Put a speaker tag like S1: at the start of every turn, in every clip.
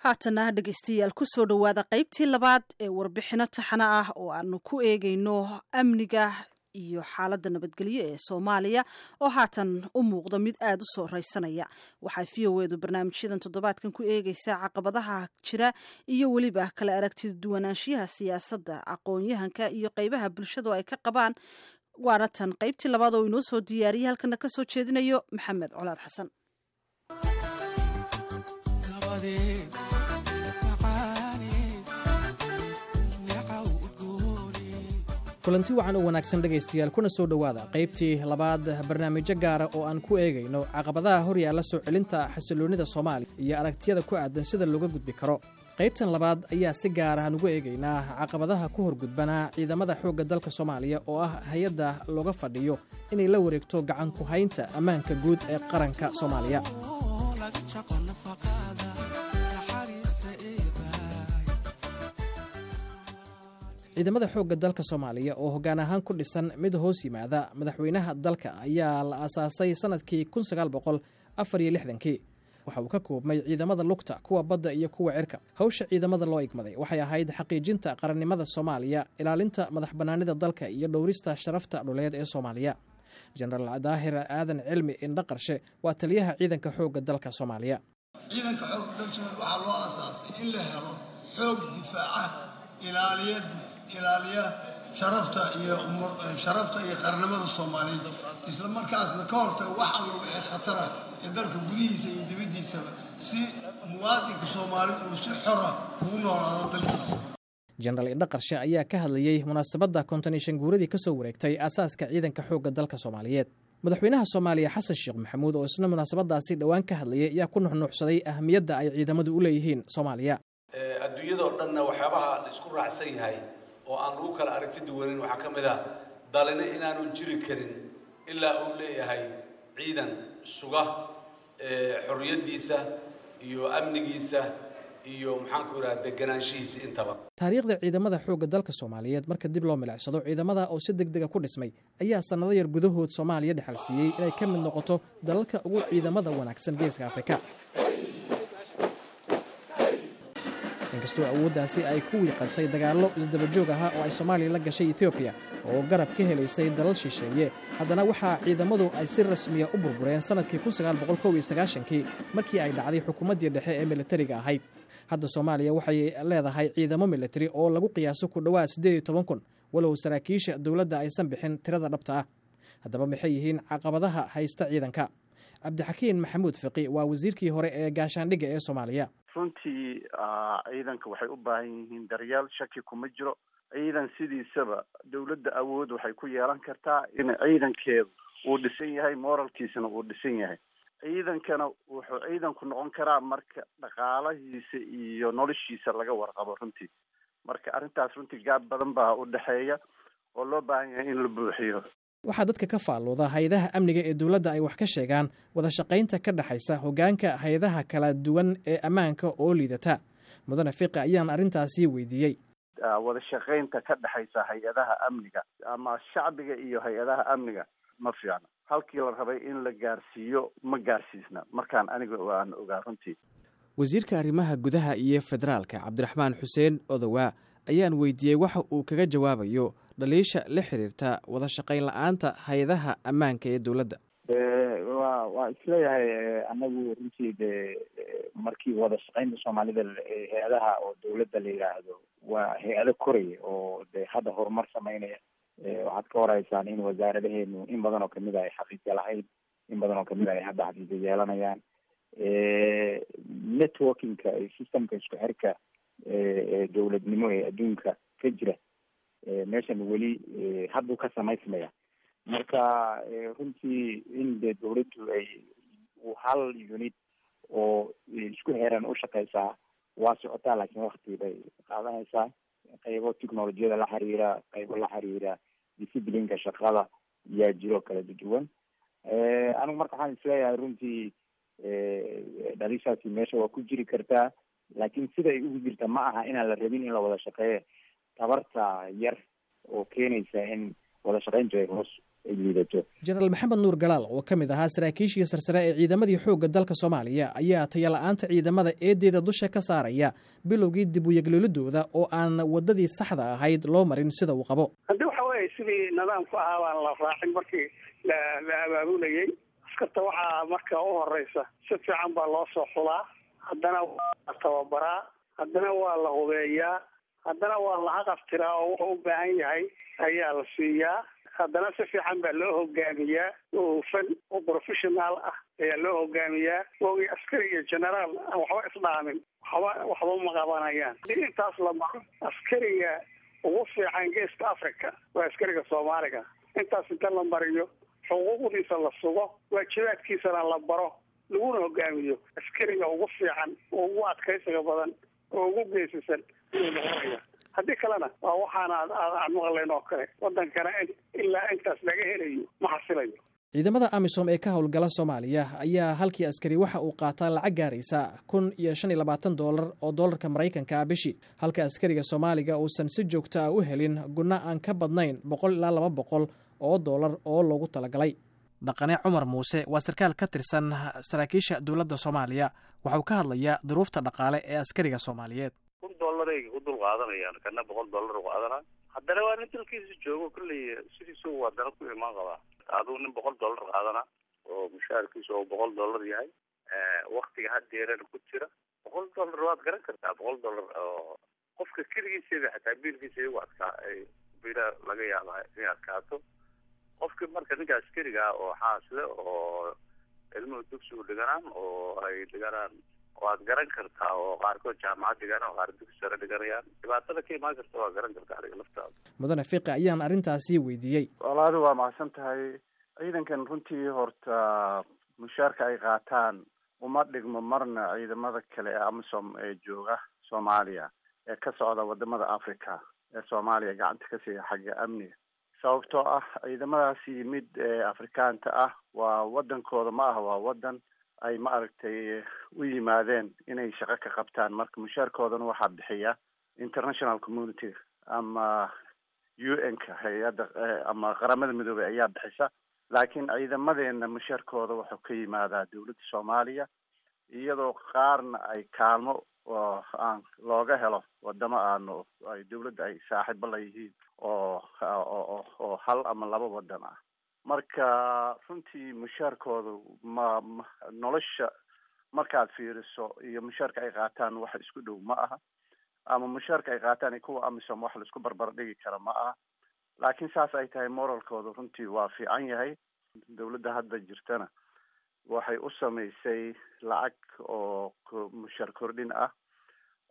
S1: Haatana dhegeystayaal, kusoo dhowaada qaybtii labaad ee warbixino taxano ah oo aanu ku eegeyno amniga iyo xaaladda nabadgelyo ee Soomaaliya oo haatan u muuqda mid aada u soo raysanaya. Waxaa VOA-du barnaamijyadan toddobaadkan ku eegeysaa caqabadaha jira iyo weliba kala aragtida duwanaanshiyaha siyaasadda, aqoon-yahanka iyo qeybaha bulshadu ay ka qabaan. Waana tan qaybtii labaad oo inoo soo diyaariyay, halkana kasoo jeedinayo Maxamed Colaad Xasan.
S2: Kulanti wacan oo wanaagsan dhegaystayaal, kuna soo dhowaada qaybtii labaad barnaamijyo gaara oo aan ku eegayno caqabadaha hor yaalla soo celinta xasilloonnida Soomaaliya iyo aragtiyada ku aadan sida looga gudbi karo. Qaybtan labaad ayaa si gaar ahaan ugu eegaynaa caqabadaha ku horgudbanaa ciidamada xoogga dalka Soomaaliya, oo ah hay-adda looga fadhiyo inay la wareegto gacan ku haynta ammaanka guud ee qaranka Soomaaliya. Ciidamada xoogga dalka Soomaaliya oo hoggaan ahaan ku dhisan mid hoos yimaada madaxweynaha dalka ayaa la aasaasay sannadkii 1964-kii. Waxa uu ka koobmay ciidamada lugta, kuwa badda iyo kuwa cirka. Hawsha ciidamada loo igmaday waxay ahayd xaqiijinta qarannimada Soomaaliya, ilaalinta madax bannaanida dalka iyo dhowrista sharafta dhuleed ee Soomaaliya. Jenaraal Daahir Aadan Cilmi Indhaqarshe waa taliyaha ciidanka xoogga dalka Soomaaliya.
S3: Ciidanka xoogga dalka Soomaaliya waxaa loo aasaasay in la helo xoog difaaca, ilaaliya sharafta iyo qarannimada Soomaaliyeed, isla markaasna ka hortaga wax alla wixii khatara ee dalka gudihiisa iyo dibaddiisaba, si muwaadinka Soomaali uu si xora ugu noolaado dalkiisa.
S2: Jenaraal Indhaqarshe ayaa ka hadlayey munaasabadda 55 guuradii ka soo wareegtay aasaaska ciidanka xoogga dalka Soomaaliyeed. Madaxweynaha Soomaaliya Xasan Sheekh Maxamuud oo isna munaasabadaasi dhowaan ka hadlayay ayaa ku nuxnuuxsaday ahmiyadda ay ciidamadu u leeyihiin Soomaaliya.
S4: Adduunyadoo dhanna waxyaabaha la isku raacsan yahay oo aan lagu kala aragti duwanin waxaa ka mid ah dalina inaanu jiri karin ilaa uu leeyahay ciidan suga xorriyaddiisa iyo amnigiisa iyo, maxaanku idhaha, deganaanshihiisa intaba.
S2: Taariikhda ciidamada xoogga dalka Soomaaliyeed marka dib loo milicsado, ciidamada oo si deg dega ku dhismay ayaa sannado yar gudahood Soomaaliya dhexal siiyey inay ka mid noqoto dalalka ugu ciidamada wanaagsan Geeska Afrika. Inkastoo awooddaasi ay ku wiiqantay dagaallo isdabajoog ahaa oo ay Soomaaliya la gashay Etoobiya oo garab ka helaysay dalal shisheeye, haddana waxaa ciidamadu ay si rasmiya u burbureen sannadkii 1991-kii, markii ay dhacday xukuumaddii dhexe ee militariga ahayd. Hadda Soomaaliya waxay leedahay ciidamo militari oo lagu qiyaaso ku dhowaad 18,000, walow saraakiisha dowladda aysan bixin tirada dhabta ah. Haddaba maxay yihiin caqabadaha haysta ciidanka? Cabdixakiin Maxamuud Fiqi waa wasiirkii hore ee gaashaandhigga ee Soomaaliya.
S5: Runtii ciidanka waxay u baahan yihiin daryeel, shaki kuma jiro. Ciidan sidiisaba dowladda awood waxay ku yeelan kartaa in ciidankeedu uu dhisan yahay, moralkiisana uu dhisan yahay. Ciidankana wuxuu ciidanku noqon karaa marka dhaqaalahiisa iyo noloshiisa laga warqabo runtii. Marka arrintaas runtii gaab badan baa u dhexeeya oo loo baahan yahay in la buuxiyo.
S2: Waxaa dadka ka faallooda hay-adaha amniga ee dowladda ay wax ka sheegaan wada shaqaynta ka dhexaysa hoggaanka hay-adaha kala duwan ee ammaanka oo liidata. Mudane Fiqi ayaan arrintaasi weydiiyey.
S5: Wada shaqaynta ka dhexaysa hay-adaha amniga ama shacbiga iyo hay-adaha amniga ma fiicna. Halkii la rabay in la gaarsiiyo ma gaarsiisna, markaan aniga aan ogaa runtii.
S2: Wasiirka arrimaha gudaha iyo federaalka Cabdiraxmaan Xuseen Odowaa ayaan weydiiyey waxa uu kaga jawaabayo dhaliisha la xiriirta wada shaqayn la-aanta hay-adaha ammaanka ee dowladda.
S6: Waa isleeyahay anagu runtii de markii wada shaqaynta Soomaalida hay-adaha oo dowladda la yidhaahdo waa hay-ado koraya oo de hadda horumar sameynaya. Waxaad ka horeysaan in wasaaradaheenu in badan oo kamid a ay xafiisya lahayn, in badan oo kamid a ay hadda xafiisya yeelanayaan. Networking-ka iyo system-ka isku xirka dowladnimo ee adduunka ka jira meeshan weli hadduu ka samaysmaya. Marka runtii in de dowladdu ay hal unit oo isku xiran u shaqeysaa waa socotaa, laakiin wakti bay qaadanaysaa. Qaybo technolojiyada la xiriira, qaybo la xiriira discipline-ka shaqada yaa jiro kala duwan. Anigu marka waxaan isleeyahay runtii dhalishaasi meesha waa ku jiri kartaa, laakiin sida ay ugu jirta ma aha inaan la rabin in la wada shaqeeyo, tabarta yar oo keenaysa in wada shaqeyntu ay hoos ay liidato.
S2: Jenaraal Maxamed Nuur Galaal oo ka mid ahaa saraakiishii sarsare ee ciidamadii xoogga dalka Soomaaliya ayaa tayala-aanta ciidamada eedeeda dusha ka saaraya bilowgii dib uyeglolidooda oo aan waddadii saxda ahayd loo marin sida uu qabo.
S7: Haddii waxa weeye sidii nidaamku ahaa baan la raacin markii la abaabulayay askarta. Waxaa marka u horeysa si fiican baa loo soo xulaa, haddana waa la tababaraa, haddana waa la hubeeyaa, haddana waa la haqaftiraa oo wuxuu u baahan yahay ayaa la siiyaa, haddana si fiican baa loo hogaamiyaa oo hufan oo professional ah ayaa loo hogaamiyaa. Wogii askari iyo generaal aan waxba isdhaamin, waxba ma qabanayaan. Haddii intaas la maro, askariga ugu fiican geeska Africa waa askariga Soomaaliga. Intaas inta la mariyo, xuquuqdiisa la sugo, waajibaadkiisana la baro, laguna hogaamiyo, askariga ugu fiican oo ugu adkaysiga badan oo ugu geesisan ayuu noqonaya. Haddii kalena waa waxaana aan maqlayn oo kale. Wadankana ilaa intaas laga helayo ma xasilayo.
S2: Ciidamada AMISOM ee ka howlgala Soomaaliya ayaa halkii askari waxa uu qaataa lacag gaaraysa $1,025 oo doolarka Maraykanka ah bishii, halka askariga Soomaaliga uusan si joogto ah u helin gunno aan ka badnayn $100 ilaa $200 oo doolar oo loogu talagalay. Dhaqane Cumar Muuse waa sarkaal ka tirsan saraakiisha dowladda Soomaaliya. Waxauu ka hadlayaa duruufta dhaqaale ee askariga Soomaaliyeed.
S8: $1,000 ay ku dul qaadanayaan, kana $100 u qaadanaa. Haddana waa nin dalkiisa joogo, kolley sidiisu waa dana ku imaan qabaa. Aduu nin $100 qaadana oo mushaharkiisa oo $100 yahay, waktiga hadeerana ku jira, $100 waad garan kartaa. $100 oo qofka keligiisaba xataa biilkiisa iyagu adkaa ay bila laga yaaba inay adkaato qofki. Marka ninka askariga ah oo xaasle oo ilmuhu dugsigu dhiganaan oo ay dhiganaan, waad garan kartaa, oo qaarkood jaamacad dhiganaan oo qaar dugsi sare dhiganayaan, dhibaatada ka imaan karta waa garan kartaa adiga laftaada.
S2: Mudane Fiqi ayaan arrintaasi weydiiyey.
S5: Walaadu waa macsan tahay. Ciidankan runtii horta mushaarka ay qaataan uma dhigmo marna ciidamada kale ee AMISOM ee jooga Soomaaliya, ee ka socda wadamada Africa ee Soomaaliya gacanta ka siiya xagga amniga, sababtoo ah ciidamadaasi mid Afrikaanta ah waa wadankooda ma aha, waa wadan ay ma aragtay u yimaadeen inay shaqo ka qabtaan. Marka mushaarkoodana waxaa bixiya international community ama UN-ka, hay-adda ama Qaramada Midoobey ayaa bixisa. Laakiin ciidamadeena mushaarkooda wuxuu ka yimaadaa dowladda Soomaaliya, iyadoo qaarna ay kaalmo oo aan looga helo wadamo aanu ay dowladda ay saaxiibo la yihiin oo hal ama laba wadan ah. Marka runtii mushaarkoodu ma nolosha markaad fiiriso iyo mushaarka ay qaataan wax isku dhow ma aha, ama mushaarka ay qaataan iyo kuwa AMISOM wax laisku barbar dhigi kara ma aha. Laakiin saas ay tahay, moralkooda runtii waa fiican yahay. Dowladda hadda jirtana waxay u samaysay lacag oo mushaar kordhin ah,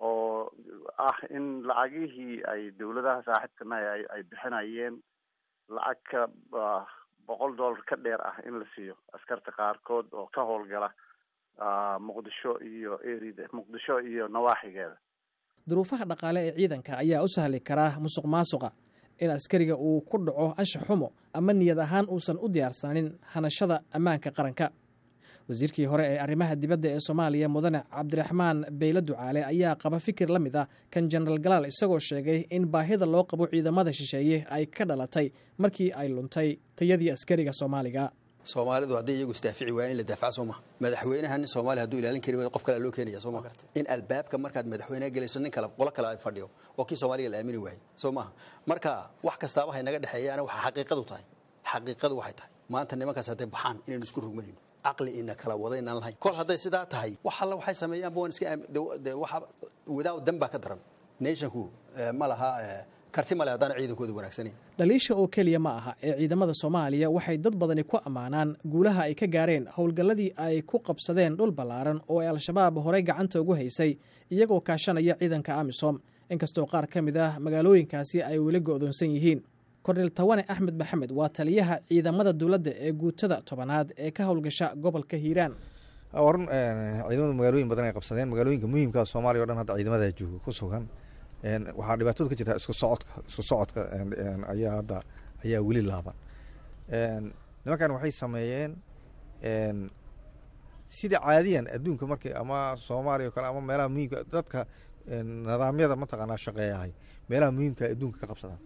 S5: oo ah in lacagihii ay dowladaha saaxiibkanahay ay bixinayeen lacag ka $100 ka dheer ah in la siiyo askarta qaarkood oo ka howlgala Muqdisho iyo erida Muqdisho iyo nawaaxigeeda.
S2: Duruufaha dhaqaale ee ciidanka ayaa u sahli karaa musuq maasuqa, in askariga uu ku dhaco anshax xumo ama niyad ahaan uusan u diyaarsanin hanashada ammaanka qaranka. Wasiirkii hore ee arrimaha dibadda ee Soomaaliya, Mudane Cabdiraxmaan Beyle Ducaale, ayaa qaba fikir la mid ah kan Jenaraal Galaal, isagoo sheegay in baahida loo qabo ciidamada shisheeye ay ka dhalatay markii ay luntay tayadii askariga Soomaaliga.
S9: Soomaalidu hadday iyagu isdaafici waayaan, in la daafaca soo maha? Madaxweynaha nin Soomaaliya hadduu ilaalin kari waayo, qof kale loo keenaya soo maha? In albaabka markaad madaxweynaha gelayso nin kale, qolo kale ay fadhiyo oo kii Soomaaliga la aamini waayo soo maha? Marka wax kastaaba hay naga dhexeeyaana, waxa xaqiiqadu tahay, xaqiiqadu waxay tahay, maanta nimankaas hadday baxaan inaynu isku rugmanayno, caqli ina kala wada inaan lahayn. Kol hadday sidaa tahay, wax alla waxay sameeyaanba waan iska waxa wadaaw dan baa ka daran. Nationku ma laha karti male haddaan ciidankooda wanaagsanayn.
S2: Dhaliisha oo keliya ma aha ee ciidamada Soomaaliya waxay dad badani ku ammaanaan guulaha ay ka gaareen howlgalladii ay ku qabsadeen dhul ballaaran oo ay Al-Shabaab horey gacanta ugu haysay, iyagoo kaashanaya ciidanka AMISOM, inkastoo qaar ka mid ah magaalooyinkaasi ay weli go'doonsan yihiin. Kornel Tawane Axmed Maxamed waa taliyaha ciidamada dowladda ee guutada 10aad ee ka howlgasha gobolka Hiiraan.
S10: Warun, ciidamada magaalooyin badan ay qabsadeen, magaalooyinka muhiimka Soomaaliya o dhan hadda ciidamada jooga ku sugan. Waxaa dhibaatadu ka jirtaa isku socodka. Isku socodka ayaa hadda ayaa weli laaban. Nimankan waxay sameeyeen sida caadiyan adduunka markay ama Soomaaliya o kale ama meelaha muhiimka dadka nidaamyada mataqaanaa shaqeeyahay meelaha muhiimka adduunka ka qabsadaan.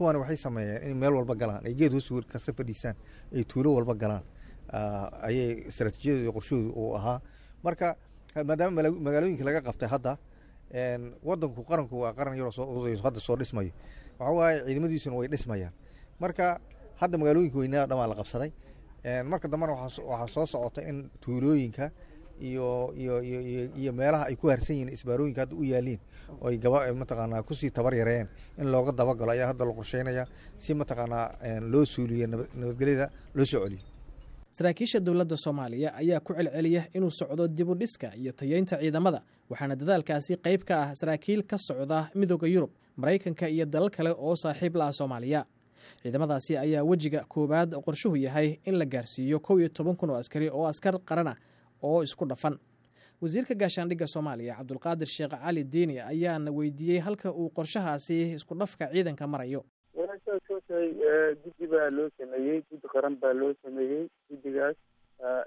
S10: Kuwani waxay sameeyeen inay meel walba galaan, ay geed hoos kasta fadhiisaan, ay tuulo walba galaan ayay istaraatiijiyadooda iyo qorshahoodu uu ahaa. Marka maadaama magaalooyinka laga qabtay hadda, wadanku qaranku waa qaran yaroo soo urudayo, hadda soo dhismayo, waxa waaye ciidamadiisuna way dhismayaan. Marka hadda magaalooyinka weynaa dhamaa la qabsaday. Marka dambena waxaa soo socota in tuulooyinka iyo iyo iyo iyo meelaha ay ku harsan yihiin isbaarooyinka hadda u yaaliin oo ay gaba mataqaanaa kusii tabar yareeyeen in looga dabagalo ayaa hadda la qorsheynaya, si mataqaanaa loo suuliyo, nabadgelyada loo soo celiyo.
S2: Saraakiisha dowladda Soomaaliya ayaa ku celceliya inuu socdo dibu dhiska iyo tayeynta ciidamada, waxaana dadaalkaasi qayb ka ah saraakiil ka socda Midooda Yurub, Maraykanka iyo dalal kale oo saaxiib la ah Soomaaliya. Ciidamadaasi ayaa wejiga koowaad qorshuhu yahay in la gaarsiiyo 11,000 oo askari oo askar qarana oo isku dhafan. Wasiirka gaashaandhigga Soomaaliya, Cabdulqaadir Sheekh Cali Diini, ayaana weydiiyey halka uu qorshahaasi isku dhafka ciidanka marayo.
S11: Walaashaas tahay, guddi baa loo sameeyey, guddi qaran baa loo sameeyey. Guddigaas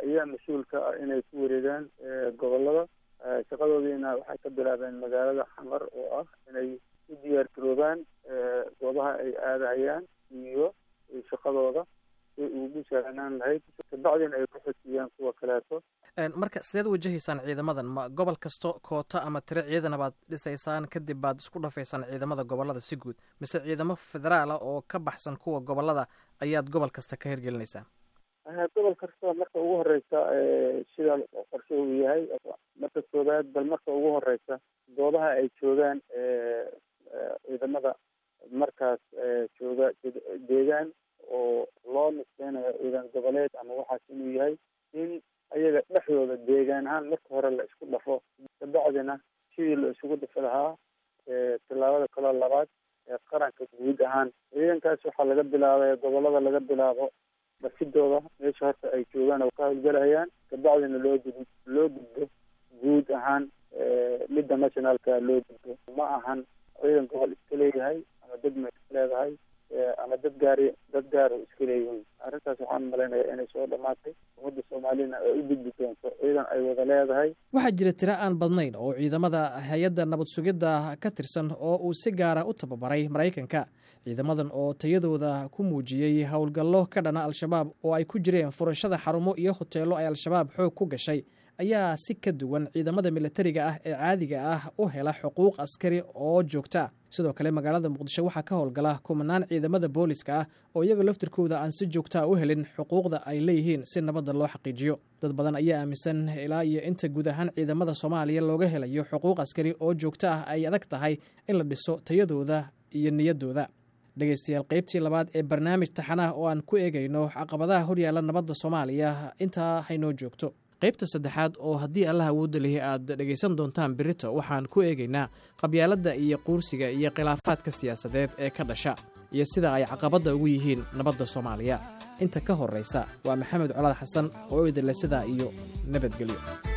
S11: ayaa mas-uul ka ah inay ku wareegaan gobolada. Shaqadoodiina waxay ka bilaabeen magaalada Xamar, oo ah inay u diyaar garoobaan goobaha ay aadahayaan iyo shaqadooda si ugu sahlanaan lahayd, kabacdina ay ku xojiyaan kuwa kaleeto.
S2: Marka sideed wajahaysaan ciidamadan? Ma gobol kasto koota ama tiro ciidana baad dhisaysaan, kadib baad isku dhafaysaan ciidamada gobolada si guud, mise ciidamo federaala oo ka baxsan kuwa gobolada ayaad gobol kasta ka hirgelinaysaan?
S11: Gobol kasta marka ugu horeysa, sida qorshe uu yahay, marka koowaad bal marka ugu horeysa goobaha ay joogaan ciidamada markaas jooga deegaan oo loo nisbeynayo ciidan goboleed ama waxaas inuu yahay, in ayaga dhexdooda deegaan ahaan marka hore la isku dhafo, kabacdina sidii la isugu dhafi lahaa tillaabada kaloo labaad ee qaranka guud ahaan. Ciidankaas waxaa laga bilaabay gobolada, laga bilaabo dhasidooda meesha horta ay joogaan oo ka howlgalahayaan, kabacdina loo gudbo guud ahaan midda nationalka loo gudbo. Ma ahan ciidan gobol iska leeyahay ama degma iska leedahay ama dad gaari dad gaara iska leeyihiin. Arrintaas waxaan malaynayaa inay soo dhammaatay, ummadda Soomaalina ay u gudbi doonto ciidan ay wada leedahay.
S2: Waxaa jira tiro aan badnayn oo ciidamada hay-adda nabad sugidda ka tirsan oo uu si gaara u tababaray Maraykanka. Ciidamadan oo tayadooda ku muujiyey howlgallo ka dhana Al-Shabaab oo ay ku jireen furashada xarumo iyo hoteello ay Al-Shabaab xoog ku gashay ayaa si ka duwan ciidamada milatariga ah ee caadiga ah u hela xuquuq askari oo joogta ah. Sidoo kale magaalada Muqdisho waxaa ka howlgala kumanaan ciidamada booliska ah oo iyaga laftirkooda aan si joogtaa u helin xuquuqda ay leeyihiin si nabadda loo xaqiijiyo. Dad badan ayaa aaminsan ilaa iyo inta guud ahaan ciidamada Soomaaliya looga helayo xuquuq askari oo joogto ah ay adag tahay in la dhiso tayadooda iyo niyaddooda. Dhegaystayaal, qaybtii labaad ee barnaamij taxanaah oo aan ku eegayno caqabadaha horyaalla nabadda Soomaaliya intaa haynoo joogto. Qaybta saddexaad oo haddii Allah awoodda lihi aad dhegaysan doontaan berito, waxaan ku eegaynaa qabyaaladda iyo quursiga iyo khilaafaadka siyaasadeed ee ka dhasha iyo sida ay caqabadda ugu yihiin nabadda Soomaaliya. Inta ka horraysa, waa Maxamed Colaad Xasan oo idinle sidaa iyo nabadgelyo.